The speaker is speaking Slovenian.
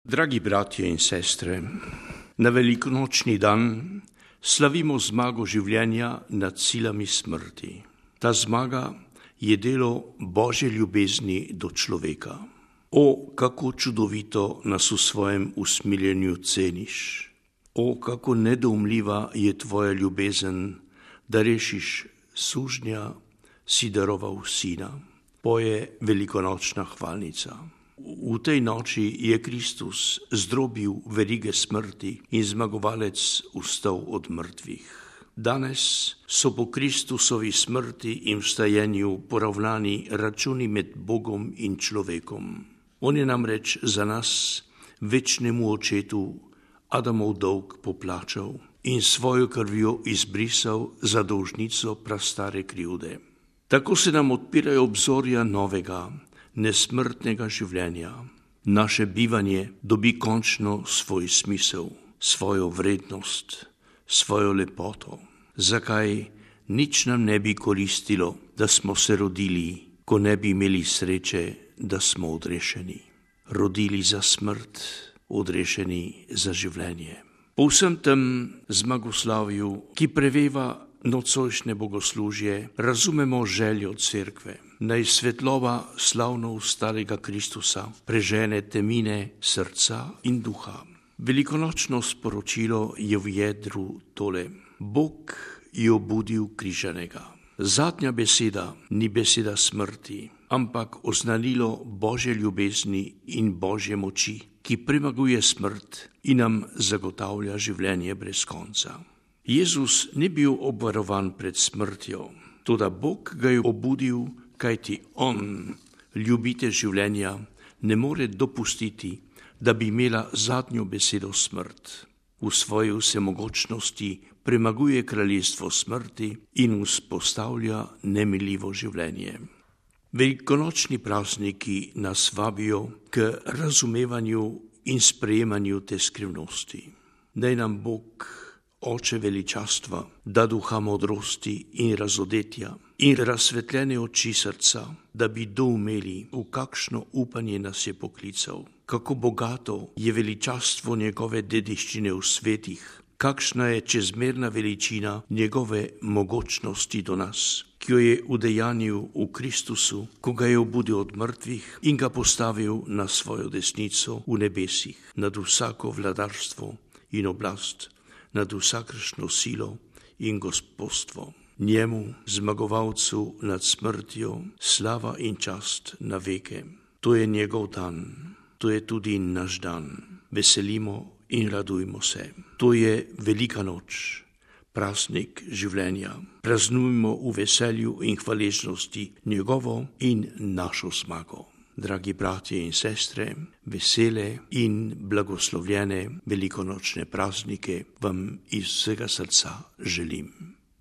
Dragi bratje in sestre, na velikonočni dan slavimo zmago življenja nad silami smrti. Ta zmaga je delo Božje ljubezni do človeka. O, kako čudovito nas v svojem usmiljenju ceniš! O, kako nedoumljiva je tvoja ljubezen, da rešiš sužnja, si daroval sina. Poje velikonočna hvalnica. V tej noči je Kristus zdrobil verige smrti in zmagovalec vstal od mrtvih. Danes so po Kristusovi smrti in vstajenju poravnani računi med Bogom in človekom. On je namreč za nas, večnemu očetu, Adamov dolg poplačal in svojo krvjo izbrisal za dolžnico prastare krivde. Tako se nam odpirajo obzorja novega, nesmrtnega življenja. Naše bivanje dobi končno svoj smisel, svojo vrednost, svojo lepoto. Zakaj nič nam ne bi koristilo, da smo se rodili, ko ne bi imeli sreče, da smo odrešeni. Rodili za smrt, odrešeni za življenje. Po vsem tem zmagoslavju, ki preveva nocojšnje bogoslužje, razumemo željo cerkve. Naj svetlova slavno vstalega Kristusa prežene temine srca in duha. Velikonočno sporočilo je v jedru tole. Bog je obudil križanega. Zadnja beseda ni beseda smrti, ampak oznanilo Božje ljubezni in Božje moči, ki premaguje smrt in nam zagotavlja življenje brez konca. Jezus ni bil obvarovan pred smrtjo, toda Bog ga je obudil, kajti on, ljubitelj življenja, ne more dopustiti, da bi imela zadnjo besedo smrt. V svoji vsemogočnosti premaguje kraljestvo smrti in vzpostavlja nemiljivo življenje. Velikonočni prazniki nas vabijo k razumevanju in sprejemanju te skrivnosti. Naj nam Bog, Oče veličastva, da duha modrosti in razodetja in razsvetljene oči srca, da bi doumeli, v kakšno upanje nas je poklical, kako bogato je veličastvo njegove dediščine v svetih, kakšna je čezmerna veličina njegove mogočnosti do nas, ki jo je udejanil v Kristusu, ko ga je obudil od mrtvih in ga postavil na svojo desnico v nebesih, nad vsako vladarstvo in oblast, nad vsakršno silo in gospodstvo. Njemu, zmagovalcu nad smrtjo, slava in čast na veke. To je njegov dan, to je tudi naš dan. Veselimo in radujmo se. To je velika noč, praznik življenja. Praznujmo v veselju in hvaležnosti njegovo in našo zmago. Dragi bratje in sestre, vesele in blagoslovljene velikonočne praznike vam iz vsega srca želim.